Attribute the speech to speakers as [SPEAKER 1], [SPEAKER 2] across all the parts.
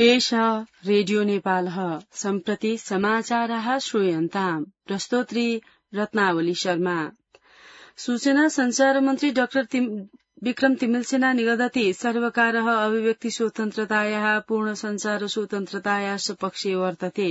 [SPEAKER 1] एषा रेडियो नेपालः सम्प्रति समाचारः श्रूयन्ताम् प्रस्तोत्री रत्नावली शर्मा। सूचना संचार मन्त्री डाक्टर विक्रम तिमिल्सिना निगदति सर्वकारः अभिव्यक्ति स्वतन्त्रतायाः पूर्ण संचार स्वतन्त्रतायाः सपक्षे वर्तते।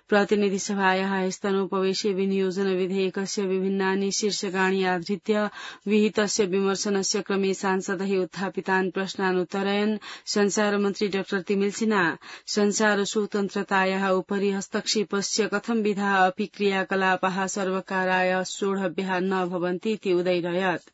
[SPEAKER 1] प्रतिनिधि सभायाः स्तनोपवेशे विनियोजन विधेयकस्य विभिन्नानि शीर्षकाणि आधृत्य विहितस्य विमर्शनस्य क्रमे सांसदैः उत्थापितान् प्रश्नान् उत्तरयन् संचार मन्त्री डाक्टर तिमिल्सिना संचार स्वतन्त्रतायाः उपरि हस्तक्षेपस्य कथं विधाः अपि क्रियाकलापाः सर्वकाराय सोढव्याः न भवन्तीति उदैरयत्।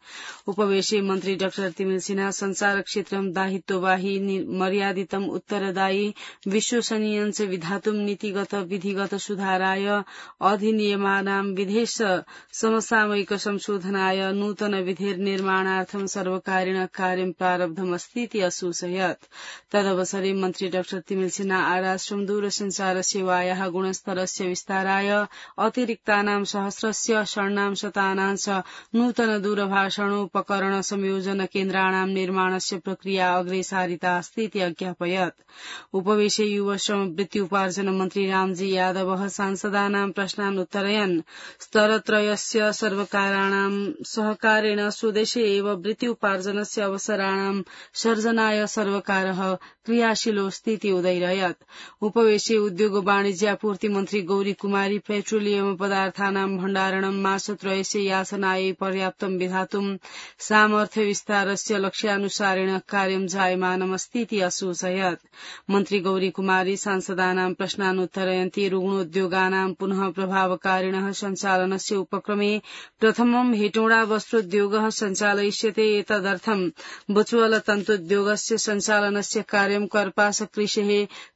[SPEAKER 1] उपवेशे मन्त्री डाक्टर तिमिल्सिना संचार क्षेत्रं दायित्ववाही मर्यादितम् उत्तरदायी विश्वसनीयञ्च विधातुं नीतिगत विधिगत सुधाराय अधिनियमानां विधेश समसामयिक संशोधनाय नूतन विधिर्निर्माणार्थं सर्वकारेण कार्यं प्रारब्धमस्तीति असूचयत्। तदवसरे मन्त्री डाक्टर तिमिल्सिना आराश्रम दूरसञ्चार सेवायाः गुणस्तरस्य विस्ताराय अतिरिक्तानां सहस्रस्य षण्णां शतानां च नूतन दूरभाषणोपकरण संयोजन केन्द्राणां निर्माणस्य प्रक्रिया अग्रे सारिता अस्तीति अज्ञापयत्। उपवेशे युव श्रम वृत्ति उपार्जन मन्त्री रामजी यादवः सांसदानां प्रश्नान् उत्तरयन् स्तरत्रयस्य सर्वकाराणां सहकारेण स्वदेशे एव वृत्ति उपार्जनस्य अवसराणां सर्जनाय सर्वकारः क्रियाशीलोऽस्तीति उदैरयत्। उपवेशे उद्योग वाणिज्यापूर्ति मन्त्री गौरी कुमारी पेट्रोलियम पदार्थानां भण्डारणं मासत्रयस्य यासनायै पर्याप्तं विधातुं सामर्थ्य विस्तारस्य लक्ष्यानुसारेण कार्यं जायमानमस्तीति असूचयत्। मन्त्री गौरी कुमारी सांसदानां प्रश्नान् उत्तरयन्ती रुग्णोद्योगानां पुनः प्रभावकारिणः सञ्चालनस्य उपक्रमे प्रथमं हेटौडा वस्त्रोद्योगः सञ्चालयिष्यते। एतदर्थं बुचवल तन्तुद्योगस्य सञ्चालनस्य कार्यं कर्पास कृषेः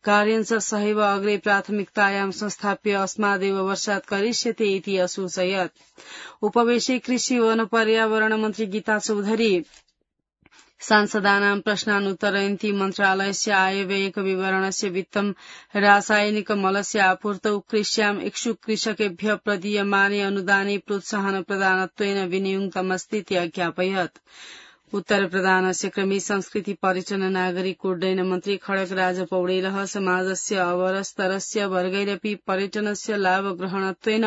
[SPEAKER 1] कार्यं च सहैव अग्रे प्राथमिकतायां संस्थाप्य अस्मादेव वर्षात् करिष्यते इति असूचयत्। उपवेशे कृषि वन पर्यावरण मन्त्री गीता चौधरी सांसदानां प्रश्नान् उत्तरयन्ती मन्त्रालयस्य आयव्ययक विवरणस्य वित्तं रासायनिक मलस्य आपूर्तौ कृष्याम् इच्छुक कृषकेभ्यः प्रदीयमाने अनुदाने प्रोत्साहन प्रदानत्वेन विनियुक्तमस्तीति अज्ञापयत्। उत्तर प्रदानस्य क्रमे संस्कृति पर्यटन नागरिक उड्डयन मन्त्री खड्गराज पौडेलः समाजस्य अवरस्तरस्य वर्गैरपि पर्यटनस्य लाभग्रहणत्वेन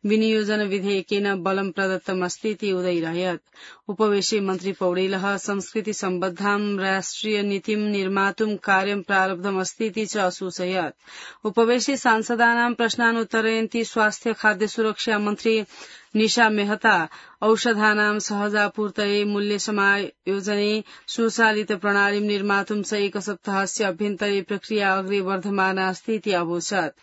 [SPEAKER 1] विनियोजन विधेयकेन बलं प्रदत्तमस्तीति उदैरयत्। उपवेशे मन्त्री पौडेलः संस्कृति सम्बद्धां राष्ट्रिय नीतिं निर्मातुं कार्यं प्रारब्धमस्तीति च असूचयत्। उपवेशे सांसदानां प्रश्नान् उत्तरयन्ती स्वास्थ्य खाद्य सुरक्षा मन्त्री निशा मेहता औषधानां सहजापूर्तये मूल्य समायोजने सुचालित प्रणालीं निर्मातुं च एक सप्ताहस्य अभ्यन्तरे प्रक्रिया अग्रे वर्धमाना अस्तीति अवोचत्।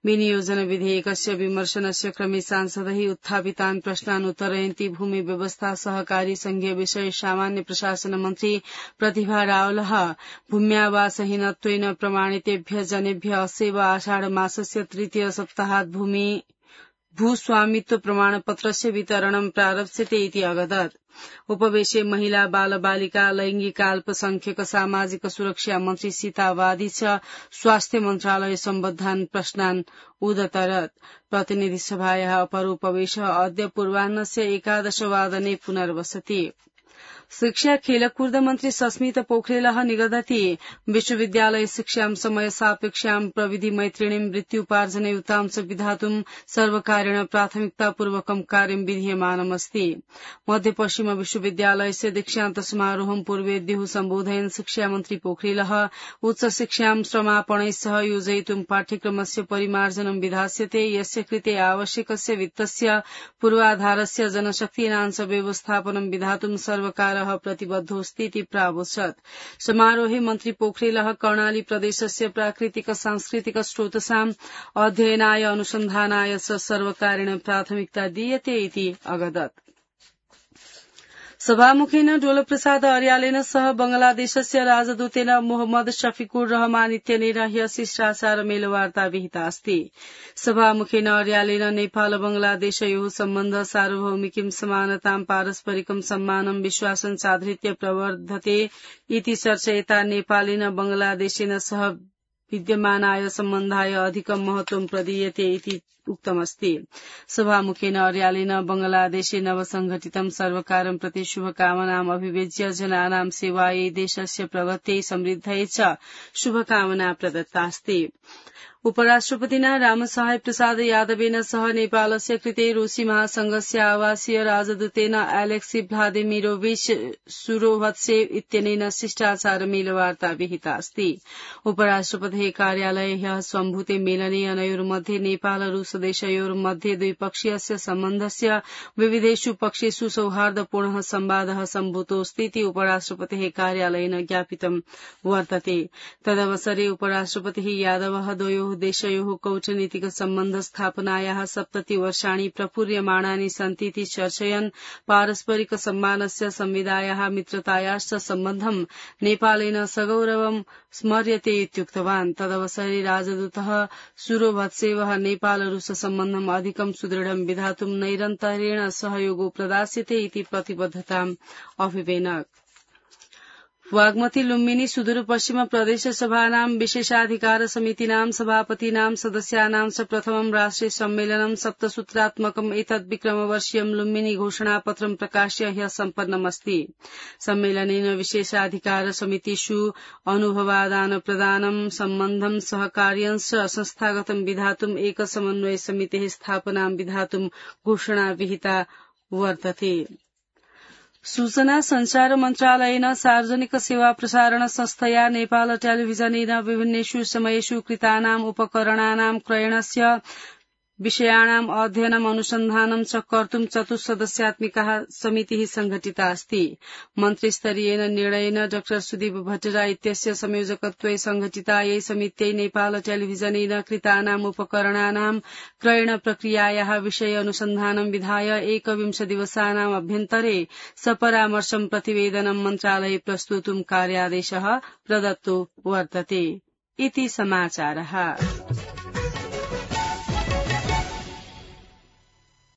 [SPEAKER 1] विनियोजन विधेयकस्य विमर्शनस्य क्रमे सांसदैः उत्थापितान् प्रश्नान् उत्तरयन्ती भूमि व्यवस्था सहकारी संघीय विषय सामान्य प्रशासन मन्त्री प्रतिभा रावलः भूम्यावासहीनत्वेन प्रमाणितेभ्यः जनेभ्यः अस्यैव आषाढ मासस्य तृतीय सप्ताहात् भूस्वामित्व प्रमाणपत्रस्य वितरणं प्रारप्स्यते इति अवदत्। उपवेशे महिला बाल बालिका लैंगिक अल्पसंख्यक सामाजिक सुरक्षा मन्त्री सीता वादी च स्वास्थ्य मन्त्रालय सम्बद्धान् प्रश्नान् उदतरत्। प्रतिनिधि सभायाः अपर उपवेशः अद्य पूर्वाह्नस्य 11 वादने पुनर्वसति। शिक्षा खेलकूद मन्त्री सस्मित पोखरेलः निगदति विश्वविद्यालय शिक्षां समय सापेक्षां प्रविधि मैत्रिणीं वृत्त्युपार्जनयुतां च विधातुं सर्वकारेण प्राथमिकतापूर्वकं कार्यं विधीयमानमस्ति। मध्यपश्चिम विश्वविद्यालयस्य दीक्षान्त समारोहं पूर्वेद्युः सम्बोधयन् शिक्षा मन्त्री पोखरेलः उच्च शिक्षां समापनै सह योजयितुं पाठ्यक्रमस्य परिमार्जनं विधास्यते। यस्य कृते आवश्यकस्य वित्तस्य पूर्वाधारस्य जनशक्तीनां च व्यवस्थापनं विधातुं सर्वकार प्रतिबद्धोऽस्तीति प्रावोचत्। समारोहे मन्त्री पोखरेलः कर्णाली प्रदेशस्य प्राकृतिक सांस्कृतिक स्रोतसाम् अध्ययनाय अनुसन्धानाय च सर्वकारेण प्राथमिकता दीयते इति अवदत्। सभामुखेन डोलप्रसाद अर्यालेन सह बंगलादेशस्य राजदूतेन मोहम्मद शफिकुर रहमान इत्यनेन ह्यः शिष्टाचार मेलवार्ता विहिता अस्ति। सभामुखेन अर्यालेन नेपाल बंगलादेशयोः सम्बन्ध सार्वभौमिकीं समानतां पारस्परिकं सम्मानं विश्वासं चाधृत्य प्रवर्धते इति चर्चयिता नेपालेन बंगलादेशेन सह विद्यमानाय सम्बन्धाय अधिकं महत्त्वं प्रदीयते इति उक्तमस्ति। सभामुखेन अर्यालेन बंगलादेशे नवसंघटितं सर्वकारं प्रति शुभकामनाम् अभिव्यज्य जनानां सेवायै देशस्य प्रगत्यै समृद्ध्यै च शुभकामना प्रदत्तास्ति। उपराष्ट्रपतिना रामसहाय प्रसाद यादवेन सह नेपालस्य कृते रूसी महासंघस्य आवासीय राजदूतेन एलेक्सी भ्लादिमिरोविच सुरोभत्सेव इत्यनेन शिष्टाचारमेलवार्ता विहिता अस्ति। उपराष्ट्रपतेः कार्यालये ह्यः सम्भूते मेलने अनयोर्मध्ये नेपाल रूस देशयोर्मध्ये द्विपक्षीयस्य सम्बन्धस्य विविधेषु पक्षेषु सौहार्दपूर्णः संवादः सम्भूतोऽस्ति इति उपराष्ट्रपतेः कार्यालयेन ज्ञापितं वर्तते। तदवसरे उपराष्ट्रपतिः यादवः द्वयोः देशयोः कूटनीतिक सम्बन्ध स्थापनायाः 70 वर्षाणि प्रपूर्यमाणानि सन्ति इति चर्चयन् पारस्परिक सम्मानस्य संविदायाः मित्रतायाश्च सम्बन्धं नेपालेन सगौरवं स्मर्यते इत्युक्तवान्। तदवसरे राजदूतः सुरोभत्सेवः नेपाल रूस सम्बन्धम् अधिकं सुदृढं विधातुं नैरन्तर्येण सहयोगो प्रदास्यते इति प्रतिबद्धताम् अभिवेनक। वाग्मती लुम्बिनी सुदूरपश्चिम प्रदेश सभानां विशेषाधिकार समितीनां सभापतीनां सदस्यानां च प्रथमं राष्ट्रिय सम्मेलनं सप्तसूत्रात्मकम् एतद् विक्रमवर्षीयं लुम्बिनी घोषणापत्रं प्रकाश्य ह्यः सम्पन्नमस्ति। सम्मेलनेन विशेषाधिकार समितिषु अनुभवादान प्रदानं सम्बन्धं सहकार्यंश्च संस्थागतं विधातुम् एक समन्वय समितेः स्थापनां विधातुं घोषणा विहिता वर्तते। सूचना संचार मन्त्रालयेन सार्वजनिक सेवा प्रसारण संस्थया नेपाल टेलिभिजनेन विभिन्नेषु समयेषु कृतानाम् उपकरणानां क्रयणस्य विषयाणाम् अध्ययनम् अनुसन्धानं च कर्तुं चतुस्सदस्यात्मिका समितिः संघटिता अस्ति। मन्त्रिस्तरीयेन निर्णयेन डा सुदीप भट्टराई इत्यस्य संयोजकत्वे संघटितायै समित्यै नेपाल टेलिभिजनेन कृतानाम् उपकरणानां क्रयण प्रक्रियायाः विषये अनुसन्धानं विधाय 21 दिवसानाम् अभ्यन्तरे सपरामर्शं प्रतिवेदनं मन्त्रालये प्रस्तोतुं कार्यादेशः प्रदत्तो वर्तते। इति समाचारः।